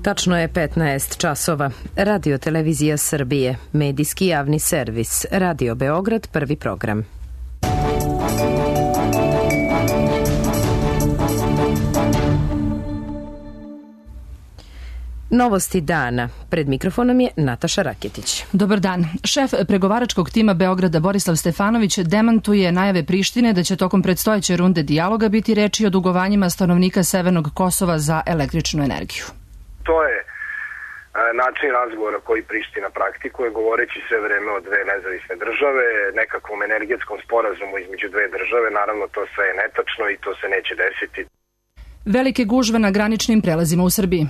Tačno je 15 časova. Radio Televizija Srbije, medijski javni servis, Radio Beograd, prvi program. Novosti dana. Pred mikrofonom je Nataša Raketić. Dobar dan. Šef pregovaračkog tima Beograda Borislav Stefanović demantuje najave Prištine da će tokom predstojeće runde dijaloga biti reči o dugovanjima stanovnika Severnog Kosova za električnu energiju. To je način razgovora koji Priština praktikuje, govoreći sve vreme o dve nezavisne države, nekakvom energetskom sporazumu između dve države. Naravno, to sve je netačno i to se neće desiti. Velike gužve na graničnim prelazima u Srbiji.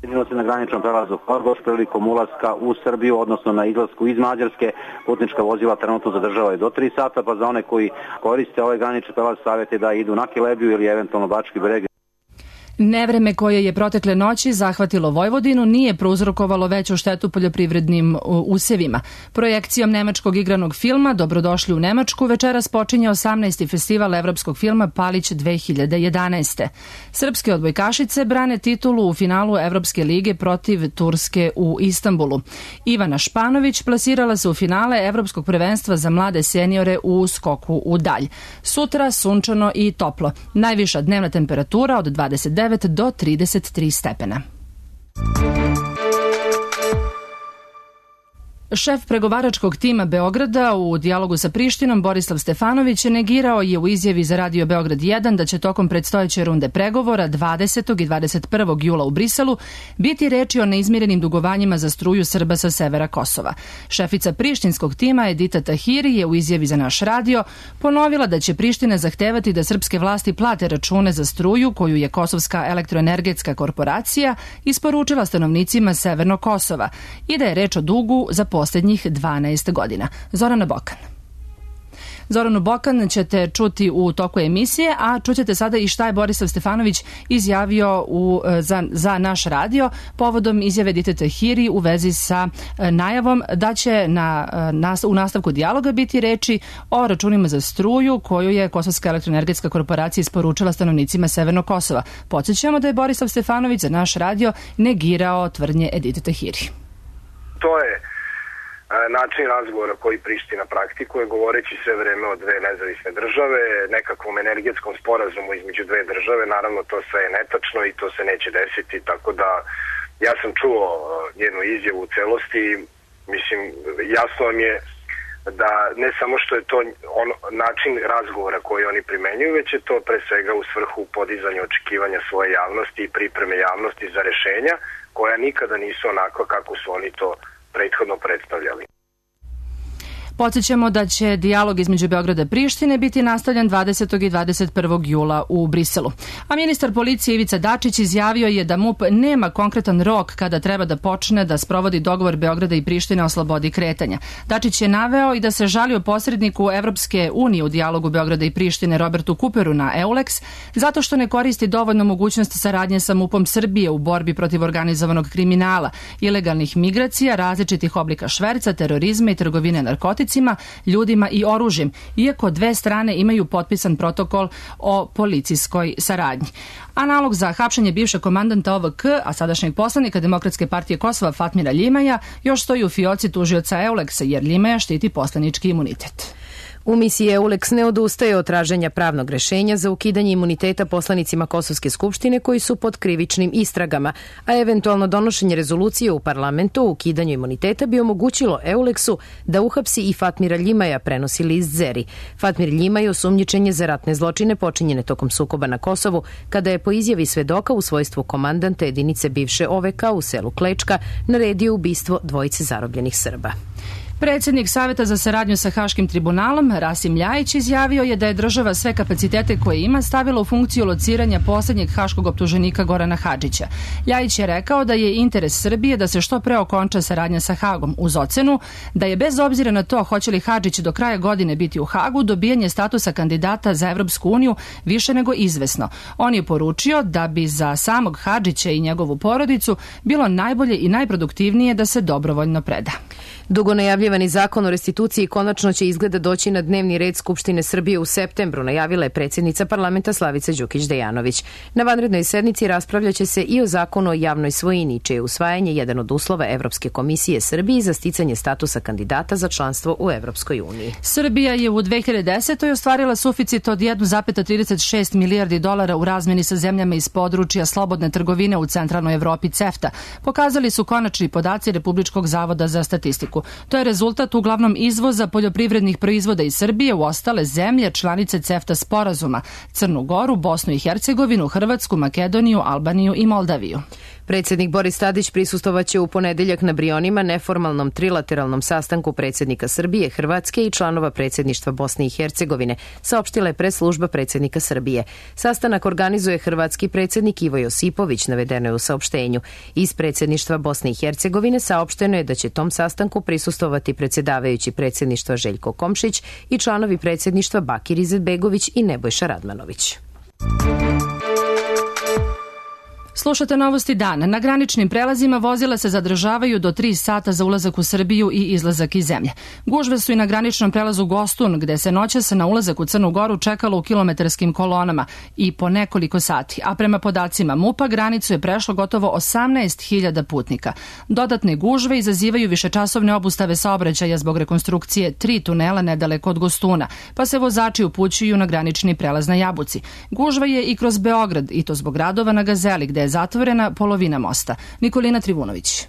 Vidimo se na graničnom prelazu Horgoš prilikom ulaska u Srbiju, odnosno na izlasku iz Mađarske. Putnička vozila trenutno zadržavaju do 3 sata, pa za one koji koriste ovaj granični prelaz savjeti da idu na Kelebiju ili eventualno Bački Breg. Nevreme koje je protekle noći zahvatilo Vojvodinu nije prouzrokovalo veću štetu poljoprivrednim usevima. Projekcijom nemačkog igranog filma Dobrodošli u Nemačku večeras počinje 18. festival evropskog filma Palić 2011. Srpske odbojkašice brane titulu u finalu Evropske lige protiv Turske u Istanbulu. Ivana Španović plasirala se u finale Evropskog prvenstva za mlade seniore u skoku u dalj. Sutra sunčano i toplo. Najviša dnevna temperatura od 29 do 33 stepena. Šef pregovaračkog tima Beograda u dijalogu sa Prištinom Borislav Stefanović negirao je u izjavi za Radio Beograd 1 da će tokom predstojeće runde pregovora 20. i 21. jula u Briselu biti reči o neizmirenim dugovanjima za struju Srba sa severa Kosova. Šefica prištinskog tima Edita Tahiri je u izjavi za naš radio ponovila da će Priština zahtevati da srpske vlasti plate račune za struju koju je Kosovska elektroenergetska korporacija isporučila stanovnicima Severnog Kosova i da je reč o dugu za posljednjih 12 godina. Zoranu Bokan ćete čuti u toku emisije, a čućete sada i šta je Borislav Stefanović izjavio za naš radio povodom izjave Edite Tahiri u vezi sa najavom da će u nastavku dijaloga biti reči o računima za struju koju je Kosovska elektroenergetska korporacija isporučila stanovnicima Severnog Kosova. Podsjećamo da je Borislav Stefanović za naš radio negirao tvrdnje Edite Tahiri. To je način razgovora koji Priština praktikuje, govoreći sve vreme o dve nezavisne države, nekakvom energetskom sporazumu između dve države. Naravno, to sve je netačno i to se neće desiti, tako da ja sam čuo njenu izjavu u celosti. Mislim, jasno vam je da ne samo što je to način razgovora koji oni primenjuju, već je to pre svega u svrhu podizanja očekivanja svoje javnosti i pripreme javnosti za rešenja koja nikada nisu onako kako su oni to prethodno predstavljali. Podsjećamo da će dijalog između Beograda i Prištine biti nastavljan 20. i 21. jula u Briselu. A ministar policije Ivica Dačić izjavio je da MUP nema konkretan rok kada treba da počne da sprovodi dogovor Beograda i Prištine o slobodi kretanja. Dačić je naveo i da se žalio posredniku Evropske unije u dijalogu Beograda i Prištine Robertu Kuperu na EULEX zato što ne koristi dovoljno mogućnost saradnje sa MUP-om Srbije u borbi protiv organizovanog kriminala, ilegalnih migracija, različitih oblika šverca, terorizma i trgovine narkoticima, ljudima i oružjem, iako dve strane imaju potpisan protokol o policijskoj saradnji. A nalog za hapšenje bivšeg komandanta OVK, a sadašnjeg poslanika Demokratske partije Kosova Fatmira Ljimaja, još stoji u fioci tužioca EULEX-a jer Ljimaja štiti poslanički imunitet. U misiji EULEX ne odustaje od traženja pravnog rešenja za ukidanje imuniteta poslanicima Kosovske skupštine koji su pod krivičnim istragama, a eventualno donošenje rezolucije u parlamentu o ukidanju imuniteta bi omogućilo EULEX-u da uhapsi i Fatmira Ljimaja, prenosi list Zeri. Fatmir Ljimaj osumnjičen je za ratne zločine počinjene tokom sukoba na Kosovu, kada je po izjavi svedoka u svojstvu komandanta jedinice bivše OVK u selu Klečka naredio ubistvo dvojice zarobljenih Srba. Predsjednik Saveta za saradnju sa Haškim tribunalom, Rasim Ljajić, izjavio je da je država sve kapacitete koje ima stavila u funkciju lociranja posljednjeg haškog optuženika Gorana Hadžića. Ljajić je rekao da je interes Srbije da se što pre okonča saradnja sa Hagom, uz ocenu da je bez obzira na to hoće li Hadžić do kraja godine biti u Hagu, dobijanje statusa kandidata za Evropsku uniju više nego izvesno. On je poručio da bi za samog Hadžića i njegovu porodicu bilo najbolje i najproduktivnije da se dobrovoljno preda. Dugo najavljivani zakon o restituciji konačno će izgleda doći na dnevni red Skupštine Srbije u septembru, najavila je predsjednica parlamenta Slavica Đukić-Dejanović. Na vanrednoj sednici raspravljaće se i o zakonu o javnoj svojini, čije je usvajanje jedan od uslova Evropske komisije Srbiji za sticanje statusa kandidata za članstvo u Evropskoj uniji. Srbija je u 2010. ostvarila suficit od 1,36 milijardi dolara u razmeni sa zemljama iz područja slobodne trgovine u centralnoj Evropi CEFTA. Pokazali su konačni podaci Republičkog zavoda za statistiku. To je rezultat uglavnom izvoza poljoprivrednih proizvoda iz Srbije u ostale zemlje članice CEFTA sporazuma: Crnu Goru, Bosnu i Hercegovinu, Hrvatsku, Makedoniju, Albaniju i Moldaviju. Predsjednik Boris Tadić prisustvovaće u ponedeljak na Brionima neformalnom trilateralnom sastanku predsjednika Srbije, Hrvatske i članova predsjedništva Bosne i Hercegovine, saopštila je press-služba predsjednika Srbije. Sastanak organizuje hrvatski predsjednik Ivo Josipović, navedeno je u saopštenju. Iz predsjedništva Bosne i Hercegovine saopšteno je da će tom sastanku prisustvovati predsjedavajući predsjedništva Željko Komšić i članovi predsjedništva Bakir Izetbegović i Nebojša Radmanović. Slušate novosti dana. Na graničnim prelazima vozila se zadržavaju do 3 sata za ulazak u Srbiju i izlazak iz zemlje. Gužve su i na graničnom prelazu Gostun, gde se noćas na ulazak u Crnu Goru čekalo u kilometarskim kolonama i po nekoliko sati, a prema podacima MUP-a granicu je prešlo gotovo 18.000 putnika. Dodatne gužve izazivaju višečasovne obustave saobraćaja zbog rekonstrukcije 3 tunela nedaleko od Gostuna, pa se vozači upućuju na granični prelaz na Jabuci. Gužva je i kroz Beograd, i to zbog radova na Gazeli, gde je zatvorena polovina mosta. Nikolina Trivunović.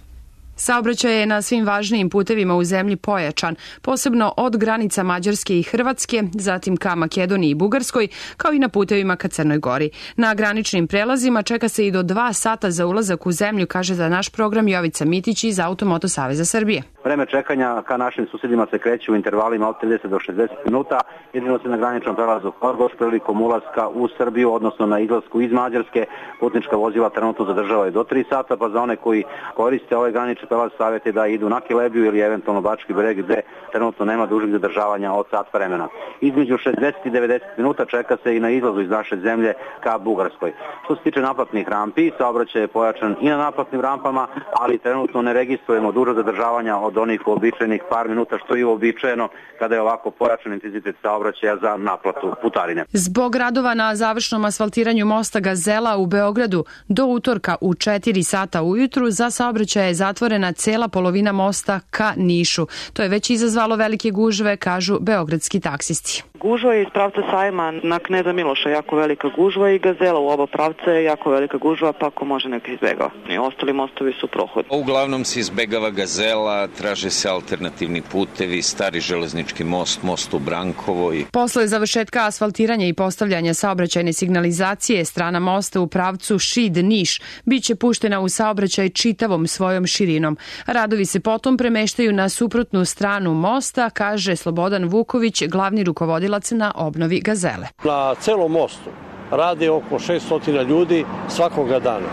Saobraćaj je na svim važnijim putevima u zemlji pojačan, posebno od granica Mađarske i Hrvatske, zatim ka Makedoniji i Bugarskoj, kao i na putevima ka Crnoj Gori. Na graničnim prelazima čeka se i do 2 sata za ulazak u zemlju, kaže za naš program Jovica Mitić iz Automoto Saveza Srbije. Vreme čekanja ka našim susjedima se kreće u intervalima od 30 do 60 minuta. Jedino se na graničnom prelazu Horgoš prilikom ulaska u Srbiju, odnosno na izlasku iz Mađarske, putnička vozila trenutno zadržavaju do 3 sata, pa za one koji koriste ovaj granični prelaz savjet je da idu na Kilebiju ili eventualno Bački Breg, gde trenutno nema dužeg zadržavanja od sat vremena. Između 60 i 90 minuta čeka se i na izlazu iz naše zemlje ka Bugarskoj. Što se tiče naplatnih rampi, saobraćaj je pojačan i na naplatnim rampama, ali trenutno ne registrujemo duža zadržavanja od onih uobičajenih par minuta, što je uobičajeno kada je ovako pojačan intenzitet saobraćaja za naplatu putarine. Zbog radova na završnom asfaltiranju mosta Gazela u Beogradu do utorka u 4 sata ujutru za saobraćaj je zatvorena cela polovina mosta ka Nišu. To je već izazvalo velike gužve, kažu beogradski taksisti. Gužva je iz pravca Sajma na Kneza Miloša jako velika gužva i Gazela u oba pravca je jako velika gužva, pa ako može neka izbegava. I ostali mostovi su prohodni. Uglavnom se izbegava Gazela, traže se alternativni putevi, stari železnički most u Brankovoj. Posle završetka asfaltiranja i postavljanja saobraćajne signalizacije, strana mosta u pravcu Šid-Niš biće puštena u saobraćaj čitavom svojom širinom. Radovi se potom premeštaju na suprotnu stranu mosta, kaže Slobodan Vuković, glavni rukovodilac na obnovi Gazele. Na celom mostu rade oko 600 ljudi svakoga dana.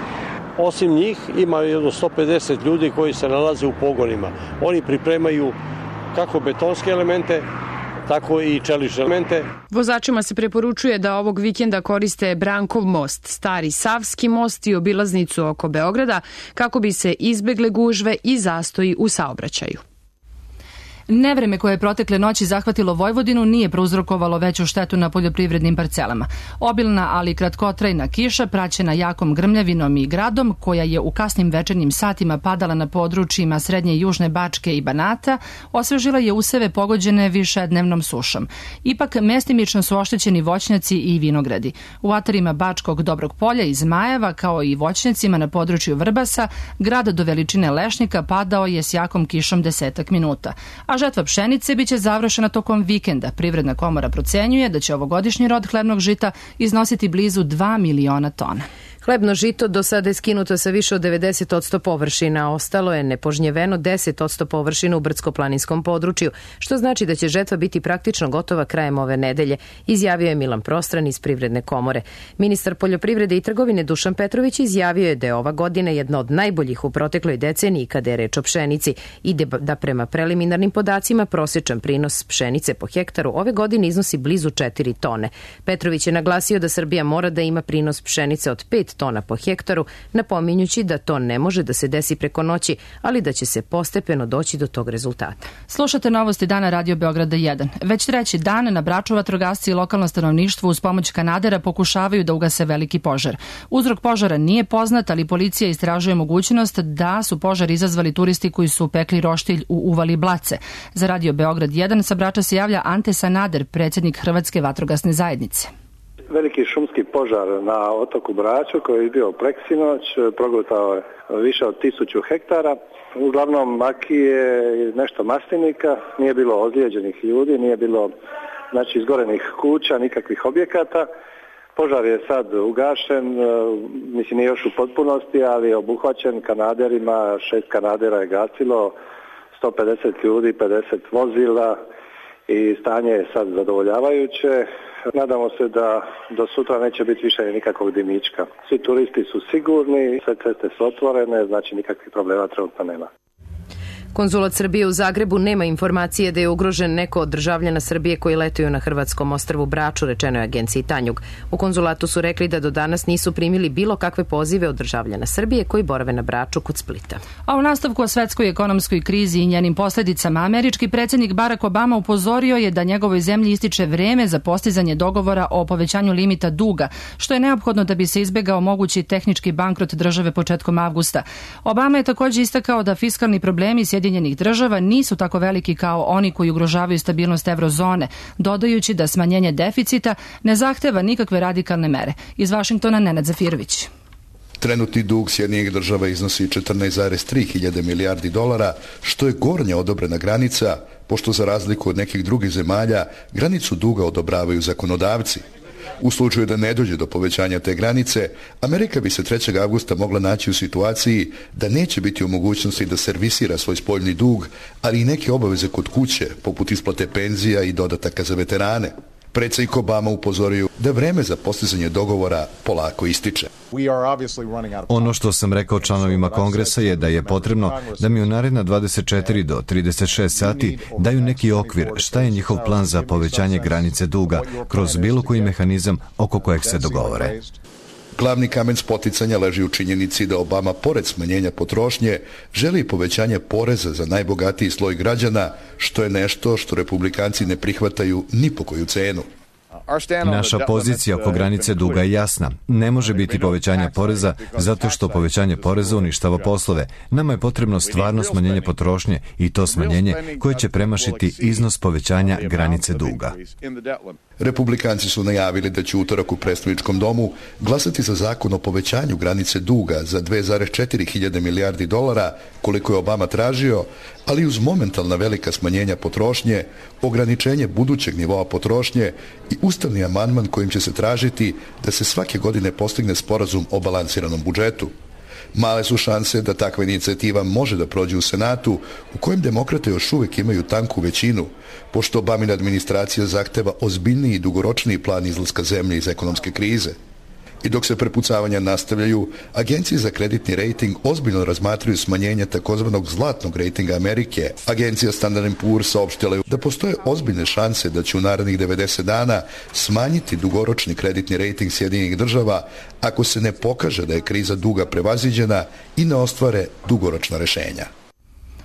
Osim njih ima jedno 150 ljudi koji se nalaze u pogonima. Oni pripremaju kako betonske elemente, tako i čelične elemente. Vozačima se preporučuje da ovog vikenda koriste Brankov most, Stari Savski most i obilaznicu oko Beograda kako bi se izbegle gužve i zastoji u saobraćaju. Nevreme koje je protekle noći zahvatilo Vojvodinu nije prouzrokovalo veću štetu na poljoprivrednim parcelama. Obilna, ali kratkotrajna kiša, praćena jakom grmljavinom i gradom, koja je u kasnim večernjim satima padala na područjima srednje i južne Bačke i Banata, osvežila je useve pogođene višednevnom sušom. Ipak, mestimično su oštećeni voćnjaci i vinogradi. U atarima Bačkog Dobrog Polja i Zmajeva, kao i voćnjacima na području Vrbasa, grad do veličine lešnika padao je s jakom kišom 10 minuta. A žetva pšenice biće završena tokom vikenda. Privredna komora procenjuje da će ovogodišnji rod hlebnog žita iznositi blizu 2 miliona tona. Hlebno žito do sada je skinuto sa više od 90% površina, ostalo je nepožnjeveno 10% površina u brdsko-planinskom području, što znači da će žetva biti praktično gotova krajem ove nedelje, izjavio je Milan Prostran iz Privredne komore. Ministar poljoprivrede i trgovine Dušan Petrović izjavio je da je ova godina jedna od najboljih u protekloj deceniji kada je reč o pšenici i da prema preliminarnim podacima prosječan prinos pšenice po hektaru ove godine iznosi blizu 4 tone. Petrović je naglasio da Srbija mora da ima prinos pšenice od 5 5 tona po hektaru, napominjući da to ne može da se desi preko noći, ali da će se postepeno doći do tog rezultata. Slušate novosti dana Radio Beograda 1. Već treći dan na Braču vatrogasci i lokalno stanovništvo uz pomoć kanadera pokušavaju da ugase veliki požar. Uzrok požara nije poznat, ali policija istražuje mogućnost da su požar izazvali turisti koji su pekli roštilj u uvali Blace. Za Radio Beograd 1 sa Brača se javlja Ante Sanader, predsjednik Hrvatske vatrogasne zajednice. Veliki šumski požar na otoku Braču koji je bio preksinoć, progutao je više od 1000 hektara. Uglavnom makije i nešto maslinika, nije bilo ozlijeđenih ljudi, nije bilo izgorenih kuća, nikakvih objekata. Požar je sad ugašen, mislim nije još u potpunosti, ali je obuhvaćen kanaderima, 6 kanadera je gasilo, 150 ljudi, 50 vozila i stanje je sad zadovoljavajuće. Nadamo se da do sutra neće biti više nikakvog dimička. Svi turisti su sigurni, sve ceste su otvorene, znači nikakvih problema trenutno nema. Konzulat Srbije u Zagrebu nema informacije da je ugrožen neko od državljana Srbije koji letuju na hrvatskom ostrvu Braču, rečeno je agenciji Tanjug. U konzulatu su rekli da do danas nisu primili bilo kakve pozive od državljana Srbije koji borave na Braču kod Splita. A u nastavku o svetskoj ekonomskoj krizi i njenim posljedicama, američki predsjednik Barack Obama upozorio je da njegovoj zemlji ističe vreme za postizanje dogovora o povećanju limita duga, što je neophodno da bi se izbegao mogući tehnički bankrot države početkom avgusta. Obama je također istakao da fiskalni problemi Sjedinjenih država nisu tako veliki kao oni koji ugrožavaju stabilnost eurozone, dodajući da smanjenje deficita ne zahteva nikakve radikalne mere. Iz Vašingtona Nenad Zafirović. Trenutni dug Sjedinjenih država iznosi 14,3 hiljade milijardi dolara, što je gornja odobrena granica, pošto za razliku od nekih drugih zemalja granicu duga odobravaju zakonodavci. U slučaju da ne dođe do povećanja te granice, Amerika bi se 3. avgusta mogla naći u situaciji da neće biti u mogućnosti da servisira svoj spoljni dug, ali i neke obaveze kod kuće, poput isplate penzija i dodataka za veterane. Predsjednik Obama upozorio da vreme za postizanje dogovora polako ističe. Ono što sam rekao članovima Kongresa je da je potrebno da mi u naredna 24 do 36 sati daju neki okvir šta je njihov plan za povećanje granice duga kroz bilo koji mehanizam oko kojeg se dogovore. Glavni kamen spoticanja leži u činjenici da Obama, pored smanjenja potrošnje, želi povećanje poreza za najbogatiji sloj građana, što je nešto što republikanci ne prihvataju ni po koju cenu. Naša pozicija oko granice duga je jasna. Ne može biti povećanja poreza zato što povećanje poreza uništava poslove. Nama je potrebno stvarno smanjenje potrošnje i to smanjenje koje će premašiti iznos povećanja granice duga. Republikanci su najavili da će utorak u predstavničkom domu glasati za zakon o povećanju granice duga za 2,4 hiljade milijardi dolara, koliko je Obama tražio, ali uz momentalna velika smanjenja potrošnje, ograničenje budućeg nivoa potrošnje i ustavni amandman kojim će se tražiti da se svake godine postigne sporazum o balansiranom budžetu. Male su šanse da takva inicijativa može da prođe u Senatu, u kojem demokrate još uvijek imaju tanku većinu, pošto Obamina administracija zahteva ozbiljniji i dugoročniji plan izlaska zemlje iz ekonomske krize. I dok se prepucavanja nastavljaju, agencije za kreditni rejting ozbiljno razmatraju smanjenje takozvanog zlatnog rejtinga Amerike. Agencija Standard & Poor's saopštila je da postoje ozbiljne šanse da će u narednih 90 dana smanjiti dugoročni kreditni rejting Sjedinjenih država ako se ne pokaže da je kriza duga prevaziđena i ne ostvare dugoročna rešenja.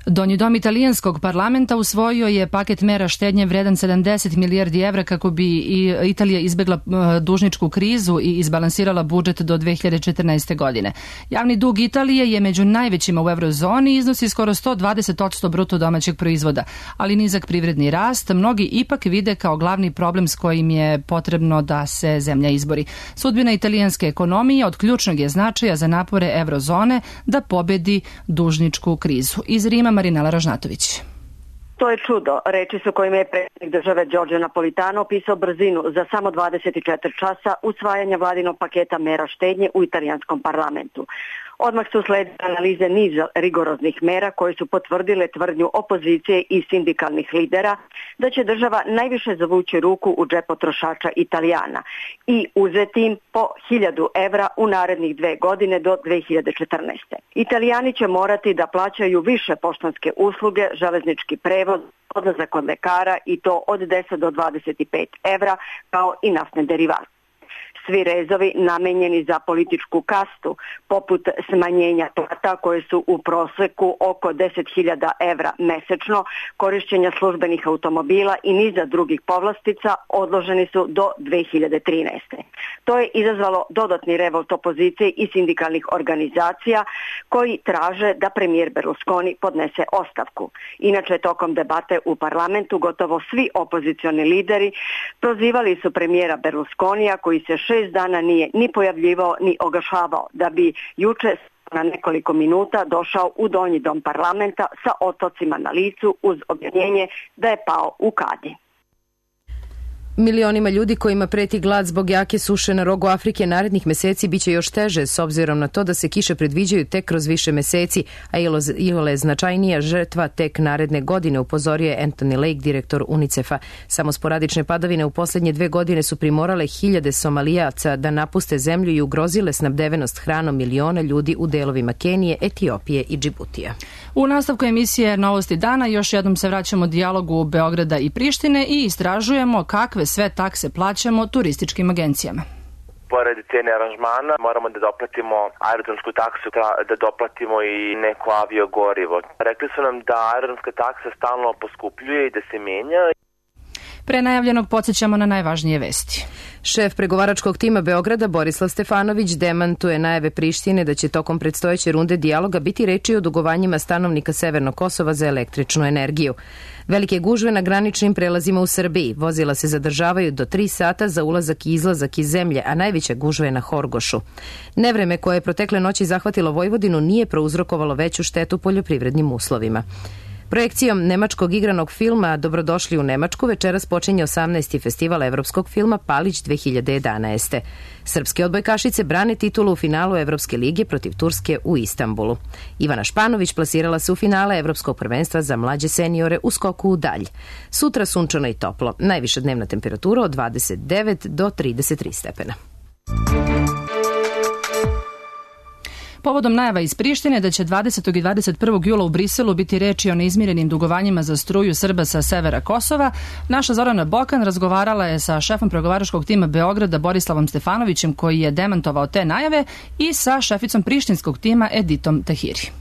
Donji dom italijanskog parlamenta usvojio je paket mera štednje vredan 70 milijardi evra kako bi Italija izbegla dužničku krizu i izbalansirala budžet do 2014. godine. Javni dug Italije je među najvećima u eurozoni i iznosi skoro 120% bruto domaćeg proizvoda, ali nizak privredni rast mnogi ipak vide kao glavni problem s kojim je potrebno da se zemlja izbori. Sudbina italijanske ekonomije od ključnog je značaja za napore eurozone da pobedi dužničku krizu. Iz Rima Marinela Ražnatović. To je čudo, reči su kojima je predsjednik države Giorgio Napolitano opisao brzinu za samo 24 časa usvajanja vladinog paketa mera štednje u italijanskom parlamentu. Odmah su sledile analize niza rigoroznih mera koje su potvrdile tvrdnju opozicije i sindikalnih lidera da će država najviše zavući ruku u džep potrošača Italijana i uzeti im po 1000 evra u narednih 2 godine do 2014. Italijani će morati da plaćaju više poštanske usluge, železnički prevoz, odlazak kod lekara i to od 10 do 25 evra kao i naftne derivate. svi rezovi namenjeni za političku kastu, poput smanjenja plata koje su u proseku oko 10.000 evra mesečno, korišćenja službenih automobila i niza drugih povlastica odloženi su do 2013. To je izazvalo dodatni revolt opozicije i sindikalnih organizacija koji traže da premijer Berlusconi podnese ostavku. Inače, tokom debate u parlamentu gotovo svi opozicioni lideri prozivali su premijera Berlusconija koji se 6 dana nije ni pojavljivao ni oglašavao, da bi juče na nekoliko minuta došao u donji dom parlamenta sa otocima na licu uz objašnjenje da je pao u kadi. Milionima ljudi kojima preti glad zbog jake suše na rogu Afrike narednih meseci biće još teže s obzirom na to da se kiše predviđaju tek kroz više meseci, a iole značajnija žrtva tek naredne godine, upozorio je Anthony Lake, direktor UNICEF-a. Samo sporadične padavine u posljednje 2 godine su primorale hiljade Somalijaca da napuste zemlju i ugrozile snabdevenost hranom miliona ljudi u delovima Kenije, Etiopije i Džibutija. U nastavku emisije Novosti dana još jednom se vraćamo dijalogu Beograda i Prištine i istražujemo kakve sve takse plaćamo turističkim agencijama. Pored cene aranžmana moramo da doplatimo aerodromsku taksu, da doplatimo i neko aviogorivo. Rekli su nam da aerodromska taksa stalno poskupljuje i da se menja. Pre najavljenog podsjećamo na najvažnije vesti. Šef pregovaračkog tima Beograda Borislav Stefanović demantuje najave Prištine da će tokom predstojeće runde dijaloga biti reči o dugovanjima stanovnika Severnog Kosova za električnu energiju. Velike gužve na graničnim prelazima u Srbiji. Vozila se zadržavaju do 3 sata za ulazak i izlazak iz zemlje, a najveća gužva je na Horgošu. Nevreme koje je protekle noći zahvatilo Vojvodinu nije prouzrokovalo veću štetu poljoprivrednim uslovima. Projekcijom nemačkog igranog filma Dobrodošli u Nemačku večeras počinje 18. festival evropskog filma Palić 2011. Srpske odbojkašice brane titulu u finalu Evropske lige protiv Turske u Istanbulu. Ivana Španović plasirala se u finale Evropskog prvenstva za mlađe seniore u skoku u dalj. Sutra sunčano i toplo. Najviša dnevna temperatura od 29 do 33 stepena. Povodom najava iz Prištine da će 20. i 21. jula u Briselu biti reči o neizmirenim dugovanjima za struju Srba sa severa Kosova, naša Zorana Bokan razgovarala je sa šefom pregovaračkog tima Beograda Borislavom Stefanovićem koji je demantovao te najave i sa šeficom prištinskog tima Editom Tahiri.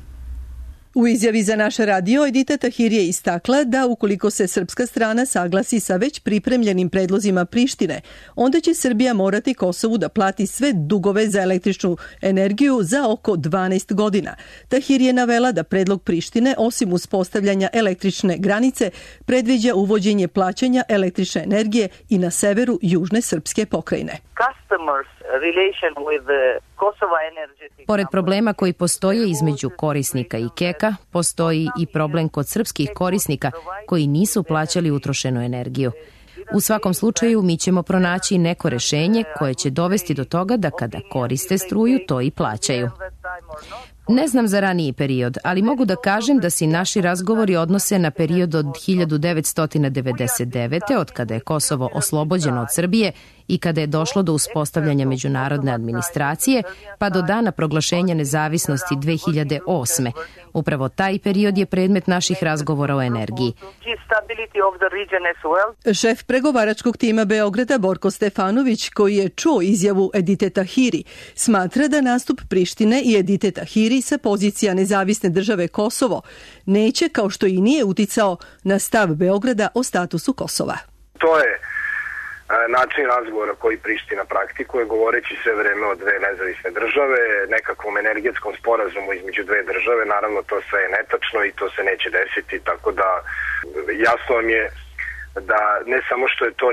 U izjavi za naš radio Edita Tahiri je istakla da ukoliko se srpska strana saglasi sa već pripremljenim predlozima Prištine, onda će Srbija morati Kosovu da plati sve dugove za električnu energiju za oko 12 godina. Tahiri je navela da predlog Prištine, osim uspostavljanja električne granice, predviđa uvođenje plaćanja električne energije i na severu južne srpske pokrajine. Pored problema koji postoje između korisnika i KEK-a, postoji i problem kod srpskih korisnika koji nisu plaćali utrošenu energiju. U svakom slučaju mi ćemo pronaći neko rešenje koje će dovesti do toga da kada koriste struju to i plaćaju. Ne znam za raniji period, ali mogu da kažem da se naši razgovori odnose na period od 1999. od kada je Kosovo oslobođeno od Srbije i kada je došlo do uspostavljanja međunarodne administracije, pa do dana proglašenja nezavisnosti 2008. Upravo taj period je predmet naših razgovora o energiji. Šef pregovaračkog tima Beograda Borko Stefanović, koji je čuo izjavu Edite Tahiri, smatra da nastup Prištine i Edite Tahiri sa pozicija nezavisne države Kosovo neće, kao što i nije uticao na stav Beograda o statusu Kosova. To je način razgovora koji Priština praktikuje, govoreći sve vreme o dve nezavisne države, nekakvom energetskom sporazumu između dve države. Naravno, to sve je netačno i to se neće desiti, tako da jasno vam je da ne samo što je to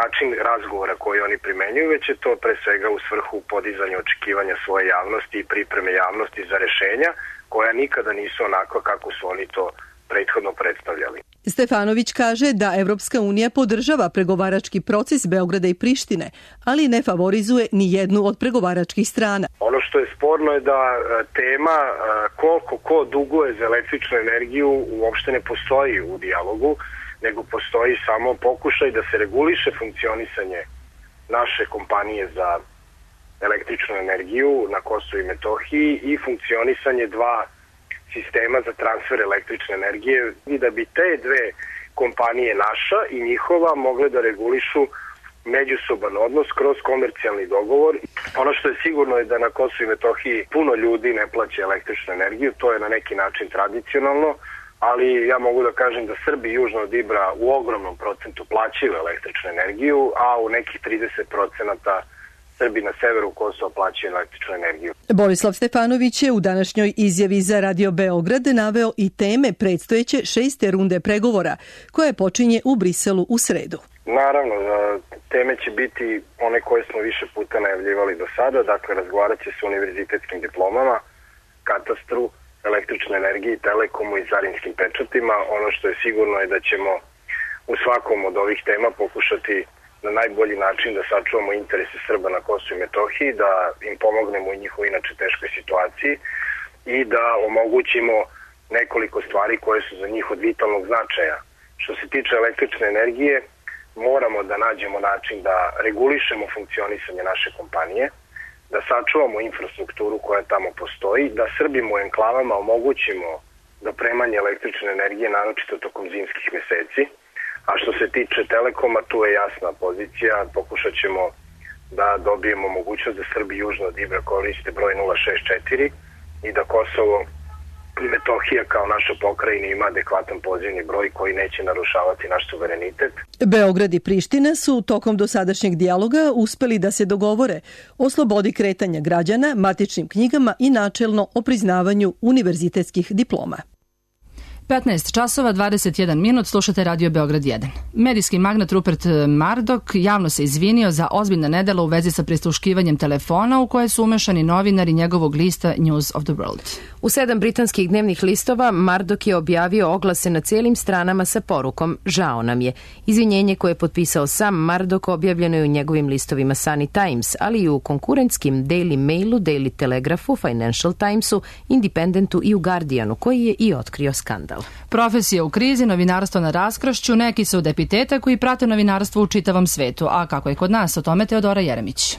način razgovora koji oni primenjuju, već je to pre svega u svrhu podizanja očekivanja svoje javnosti i pripreme javnosti za rešenja koja nikada nisu onako kako su oni to prethodno predstavljali. Stefanović kaže da Evropska unija podržava pregovarački proces Beograda i Prištine, ali ne favorizuje ni jednu od pregovaračkih strana. Ono što je sporno je da tema koliko ko duguje za električnu energiju uopšte ne postoji u dijalogu, nego postoji samo pokušaj da se reguliše funkcionisanje naše kompanije za električnu energiju na Kosovu i Metohiji i funkcionisanje dva sistema za transfer električne energije i da bi te dve kompanije naša i njihova mogle da regulišu međusoban odnos kroz komercijalni dogovor. Ono što je sigurno je da na Kosovu i Metohiji puno ljudi ne plaća električnu energiju, to je na neki način tradicionalno, ali ja mogu da kažem da Srbi južno od Ibra u ogromnom procentu plaćaju električnu energiju, a u nekih 30% Srbi na severu Kosova plaćaju električnu energiju. Borislav Stefanović je u današnjoj izjavi za Radio Beograd naveo i teme predstojeće 6. runde pregovora, koje počinje u Briselu u sredu. Naravno, teme će biti one koje smo više puta najavljivali do sada, dakle razgovarat će se o univerzitetskim diplomama, katastru, električnoj energiji, telekomu i carinskim pečatima. Ono što je sigurno je da ćemo u svakom od ovih tema pokušati na najbolji način da sačuvamo interese Srba na Kosovu i Metohiji, da im pomognemo u njihovoj inače teškoj situaciji i da omogućimo nekoliko stvari koje su za njih od vitalnog značaja. Što se tiče električne energije, moramo da nađemo način da regulišemo funkcionisanje naše kompanije, da sačuvamo infrastrukturu koja tamo postoji, da Srbima u enklavama omogućimo dopremanje električne energije, naročito tokom zimskih meseci. A što se tiče Telekoma, tu je jasna pozicija, pokušat ćemo da dobijemo mogućnost da Srbi južno od Ibra koriste broj 064 i da Kosovo i Metohija kao naša pokrajina ima adekvatan pozivni broj koji neće narušavati naš suverenitet. Beograd i Priština su tokom dosadašnjeg dijaloga uspeli da se dogovore o slobodi kretanja građana, matičnim knjigama i načelno o priznavanju univerzitetskih diploma. 15 časova, 21 minut, slušate Radio Beograd 1. Medijski magnat Rupert Murdoch javno se izvinio za ozbiljna nedela u vezi sa prisluškivanjem telefona u koje su umešani novinari njegovog lista News of the World. U 7 britanskih dnevnih listova Murdoch je objavio oglase na cijelim stranama sa porukom "Žao nam je". Izvinjenje koje je potpisao sam Murdoch objavljeno je u njegovim listovima Sunny Times, ali i u konkurentskim Daily Mailu, Daily Telegraphu, Financial Timesu, Independentu i u Guardianu, koji je i otkrio skandal. Profesija u krizi, novinarstvo na raskršću, neki su od epiteta koji prate novinarstvo u čitavom svetu. A kako je kod nas, o tome Teodora Jeremić.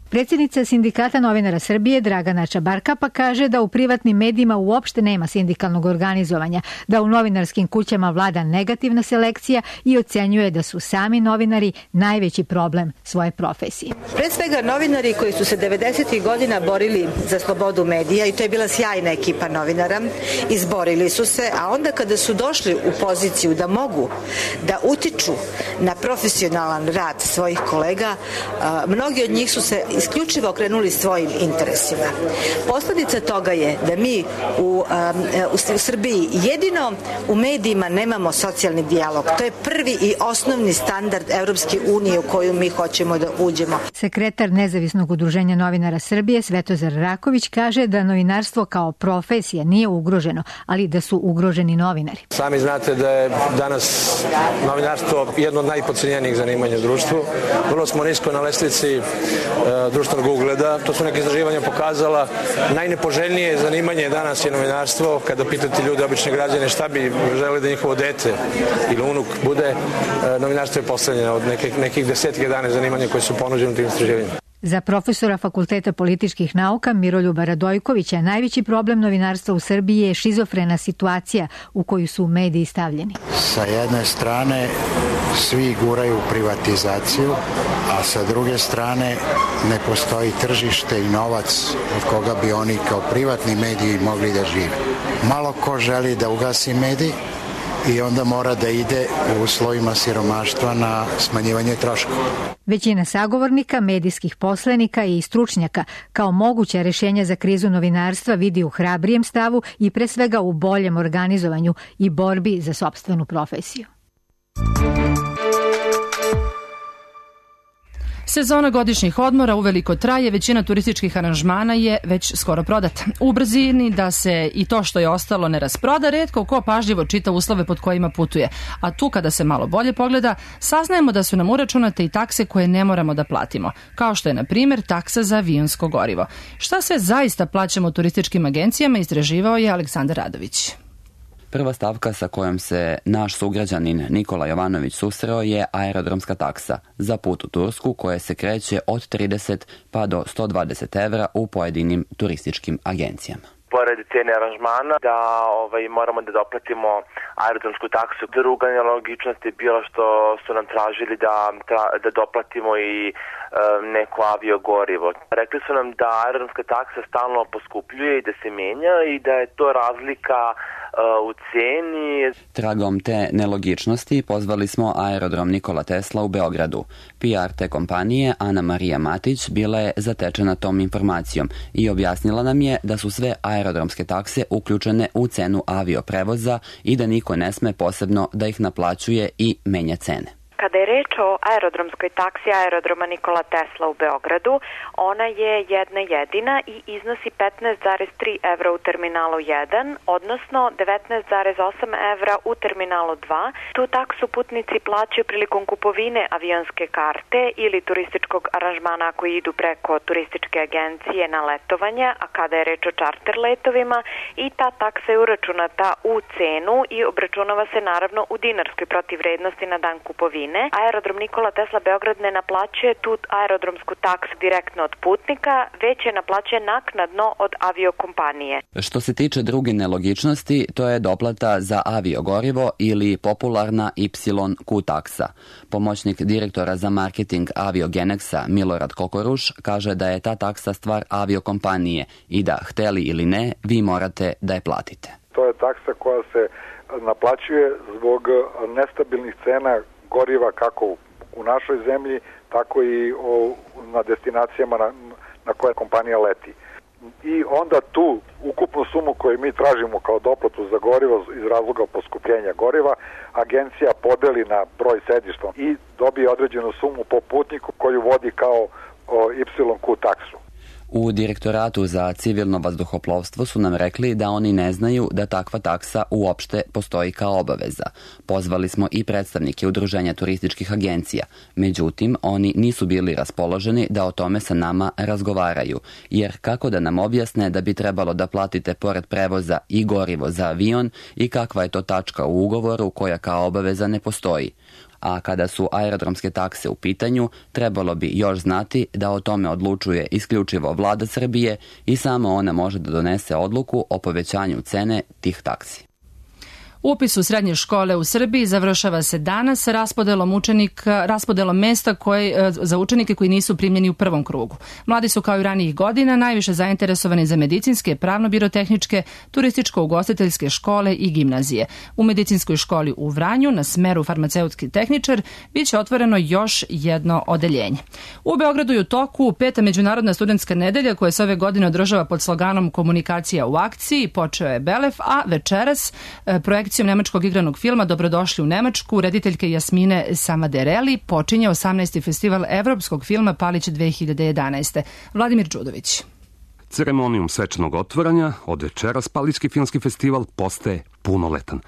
Predsjednica Sindikata novinara Srbije Dragana Čabarkapa kaže da u privatnim medijima uopšte nema sindikalnog organizovanja, da u novinarskim kućama vlada negativna selekcija i ocenjuje da su sami novinari najveći problem svoje profesije. Pre svega novinari koji su se 90. godina borili za slobodu medija i to je bila sjajna ekipa novinara, izborili su se, a onda kada su došli u poziciju da mogu da utiču na profesionalan rad svojih kolega, mnogi od njih su se isključivo okrenuli svojim interesima. Posledica toga je da mi u Srbiji jedino u medijima nemamo socijalni dijalog. To je prvi i osnovni standard Evropske unije u koju mi hoćemo da uđemo. Sekretar Nezavisnog udruženja novinara Srbije Svetozar Raković kaže da novinarstvo kao profesija nije ugroženo, ali da su ugroženi novinari. Sami znate da je danas novinarstvo jedno od najpodcenjenijih zanimanja u društvu. Vrlo smo nisko na lestvici društvenog ugleda. To su neke istraživanja pokazala. Najnepoželjnije zanimanje danas je novinarstvo. Kada pitate ljude, obične građane, šta bi želeli da njihovo dete ili unuk bude, novinarstvo je postavljeno od nekih 10-11 zanimanja koje su ponuđene u tim istraživanjima. Za profesora Fakulteta političkih nauka Miroljuba Radojkovića najveći problem novinarstva u Srbiji je šizofrena situacija u koju su mediji stavljeni. Sa jedne strane svi guraju privatizaciju, a sa druge strane ne postoji tržište i novac od koga bi oni kao privatni mediji mogli da žive. Malo ko želi da ugasi medij i onda mora da ide u uslovima siromaštva na smanjivanje troškova. Većina sagovornika, medijskih poslenika i stručnjaka kao moguće rješenja za krizu novinarstva vidi u hrabrijem stavu i pre svega u boljem organizovanju i borbi za sopstvenu profesiju. Sezona godišnjih odmora uveliko traje, većina turističkih aranžmana je već skoro prodata. U brzini da se i to što je ostalo ne rasproda, retko ko pažljivo čita uslove pod kojima putuje. A tu kada se malo bolje pogleda, saznajemo da su nam uračunate i takse koje ne moramo da platimo, kao što je na primjer taksa za avionsko gorivo. Šta sve zaista plaćamo turističkim agencijama, istraživao je Aleksandar Radović. Prva stavka sa kojom se naš sugrađanin Nikola Jovanović susreo je aerodromska taksa za put u Tursku koja se kreće od 30 pa do 120 evra u pojedinim turističkim agencijama. pored cene aranžmana da moramo da doplatimo aerodromsku taksu. Druga nelogičnost je bila što su nam tražili da doplatimo i neko aviogorivo. Rekli su nam da aerodromska taksa stalno poskupljuje i da se menja i da je to razlika u ceni. Tragom te nelogičnosti pozvali smo aerodrom Nikola Tesla u Beogradu. PR te kompanije Ana Marija Matić bila je zatečena tom informacijom i objasnila nam je da su sve aerodromske takse uključene u cenu avioprevoza i da niko ne sme posebno da ih naplaćuje i menja cene. Kada je reč o aerodromskoj taksi aerodroma Nikola Tesla u Beogradu, ona je jedna jedina i iznosi 15,3 evra u terminalu 1, odnosno 19,8 evra u terminalu 2. Tu taksu putnici plaćaju prilikom kupovine avionske karte ili turističkog aranžmana ako idu preko turističke agencije na letovanje, a kada je reč o čarter letovima i ta taksa je uračunata u cenu i obračunava se naravno u dinarskoj protivvrednosti na dan kupovine. Aerodrom Nikola Tesla Beograd ne naplaćuje tu aerodromsku taksu direktno od putnika, već je naplaćuje naknadno od aviokompanije. Što se tiče druge nelogičnosti, to je doplata za aviogorivo ili popularna YQ taksa. Pomoćnik direktora za marketing Aviogenexa Milorad Kokoruš kaže da je ta taksa stvar aviokompanije i da, hteli ili ne, vi morate da je platite. To je taksa koja se naplaćuje zbog nestabilnih cena goriva kako u našoj zemlji, tako i na destinacijama na koje kompanija leti. I onda tu ukupnu sumu koju mi tražimo kao doplatu za gorivo iz razloga poskupljenja goriva, agencija podeli na broj sedišta i dobije određenu sumu po putniku koju vodi kao YQ taksu. U Direktoratu za civilno vazduhoplovstvo su nam rekli da oni ne znaju da takva taksa uopšte postoji kao obaveza. Pozvali smo i predstavnike Udruženja turističkih agencija. Međutim, oni nisu bili raspoloženi da o tome sa nama razgovaraju, jer kako da nam objasne da bi trebalo da platite pored prevoza i gorivo za avion i kakva je to tačka u ugovoru koja kao obaveza ne postoji. A kada su aerodromske takse u pitanju, trebalo bi još znati da o tome odlučuje isključivo vlada Srbije i samo ona može da donese odluku o povećanju cene tih taksi. Upis u srednje škole u Srbiji završava se danas raspodelom mesta za učenike koji nisu primljeni u prvom krugu. Mladi su kao i ranijih godina najviše zainteresovani za medicinske, pravno-birotehničke, turističko-ugostiteljske škole i gimnazije. U medicinskoj školi u Vranju na smeru farmaceutski tehničar biće otvoreno još jedno odeljenje. U Beogradu je u toku 5. Međunarodna studentska nedelja koja se ove godine održava pod sloganom Komunikacija u akciji. Počeo je Belef, a večeras projekcijom nemačkog igranog filma Dobrodošli u Nemačku rediteljke Jasmine Samadereli počinje 18. festival evropskog filma Palić 2011. Vladimir Đudović. Ceremonijom svečanog otvaranja od večeras Palićki filmski festival postaje punoletan.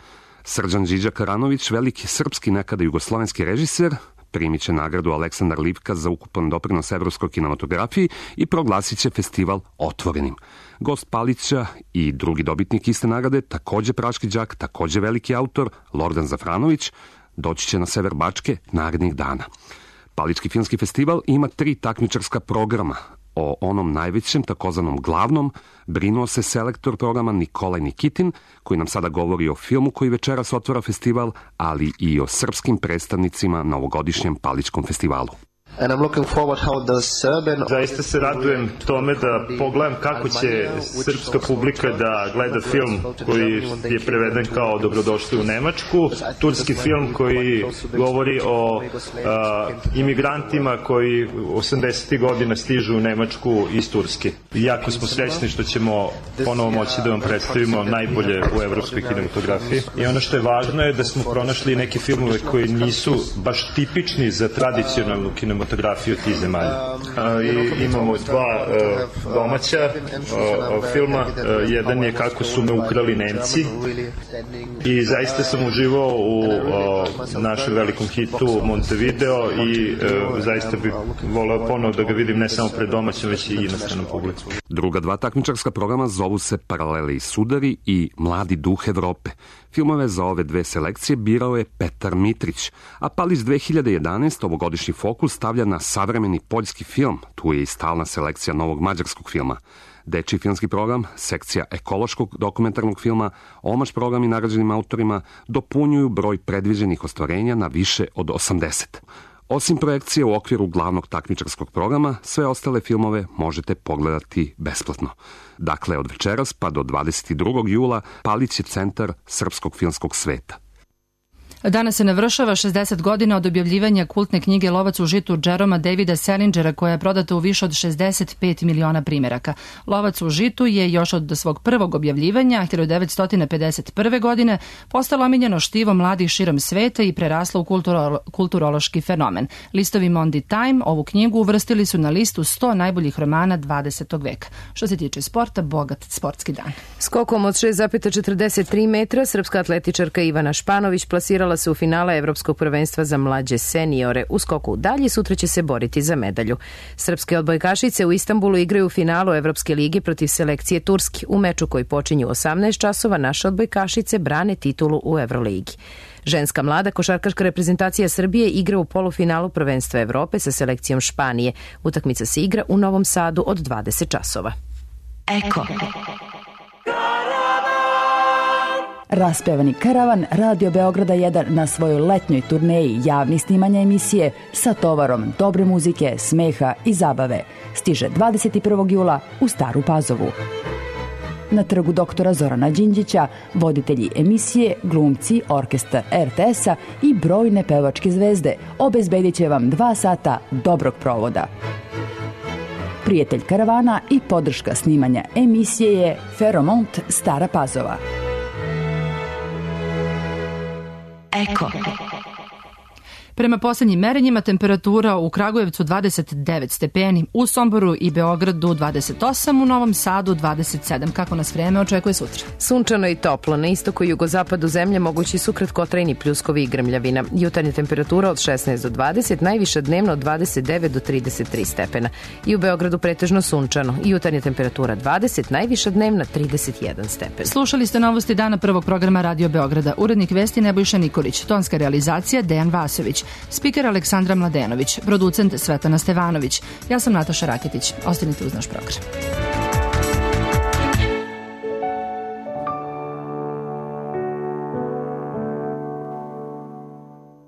Srđan Điđa Karanović, veliki srpski nekada jugoslovenski režiser, primit će nagradu Aleksandar Livka za ukupan doprinos evropskoj kinematografiji i proglasit će festival otvorenim. Gost Palića i drugi dobitnik iste nagrade, takođe praški đak, takođe veliki autor, Lordan Zafranović, doći će na sever Bačke narednih dana. Palićki filmski festival ima 3 takmičarska programa. O onom najvećem, takozvanom glavnom, brinuo se selektor programa Nikolaj Nikitin, koji nam sada govori o filmu koji večeras otvara festival, ali i o srpskim predstavnicima na ovogodišnjem Palićkom festivalu. Zaista se radujem tome da pogledam kako će srpska publika da gleda film koji je preveden kao Dobrodošli u Nemačku, turski film koji govori o imigrantima koji 80. godina stižu u Nemačku iz Turske. Jako smo srećni što ćemo ponovo moći da vam predstavimo najbolje u evropskoj kinematografiji. I ono što je važno je da smo pronašli neke filmove koji nisu baš tipični za tradicionalnu kinematografiju tih zemalja. Imamo 2 domaća filma. Jedan je Kako su me ukrali Nemci i zaista sam uživao u našem velikom hitu Montevideo i zaista bih voleo ponovo da ga vidim ne samo pred domaćom, već i inostranom publikom. Druga 2 takmičarska programa zovu se Paralele i sudari i Mladi duh Evrope. Filmove za ove 2 selekcije birao je Petar Mitrić, a Palić 2011 ovogodišnji fokus stavlja stavlja na savremeni poljski film, tu je i stalna selekcija novog mađarskog filma. Dečiji filmski program, sekcija ekološkog dokumentarnog filma, omaž programi nagrađenim autorima dopunjuju broj predviđenih ostvarenja na više od 80. Osim projekcije u okviru glavnog takmičarskog programa, sve ostale filmove možete pogledati besplatno. Dakle, od večeras pa do 22. jula palit će Centar srpskog filmskog sveta. Danas se navršava 60 godina od objavljivanja kultne knjige Lovac u žitu Jeroma Davida Salingera, koja je prodata u više od 65 miliona primeraka. Lovac u žitu je još od svog prvog objavljivanja 1951. godine postalo omiljeno štivo mladih širom sveta i preraslo u kulturološki fenomen. Listovi Monday Time ovu knjigu uvrstili su na listu 100 najboljih romana 20. veka. Što se tiče sporta, bogat sportski dan. Skokom od 6,43 metra srpska atletičarka Ivana Španović plasirala se u finale Evropskog prvenstva za mlađe seniore. U skoku dalje sutra će se boriti za medalju. Srpske odbojkašice u Istanbulu igraju u finalu Evropske lige protiv selekcije Turski. U meču koji počinju u 18 časova naše odbojkašice brane titulu u Evroligi. Ženska mlada košarkaška reprezentacija Srbije igra u polufinalu prvenstva Evrope sa selekcijom Španije. Utakmica se igra u Novom Sadu od 20 časova. Eko. Raspevani karavan Radio Beograda 1 na svojoj letnjoj turneji javnih snimanja emisije sa tovarom dobre muzike, smeha i zabave stiže 21. jula u Staru Pazovu. Na trgu doktora Zorana Đinđića voditelji emisije, glumci, orkestar RTS-a i brojne pevačke zvezde obezbedit će vam 2 sata dobrog provoda. Prijatelj karavana i podrška snimanja emisije je Feromont Stara Pazova. Eko. Prema poslednjim merenjima temperatura u Kragujevcu 29 stepeni, u Somboru i Beogradu 28, u Novom Sadu 27. Kako nas vreme očekuje sutra? Sunčano i toplo. Na istoku i jugozapadu zemlje mogući su kratkotrajni pljuskovi i grmljavina. Jutarnja temperatura od 16 do 20, najviša dnevno od 29 do 33 stepena. I u Beogradu pretežno sunčano. Jutarnja temperatura 20, najviša dnevna 31 stepen. Slušali ste novosti dana prvog programa Radio Beograda. Urednik vesti Nebojša Nikolić, tonska realizacija Dejan Vasović, spiker Aleksandra Mladenović, producent Svetana Stevanović. Ja sam Nataša Raketić. Ostanite uz naš program.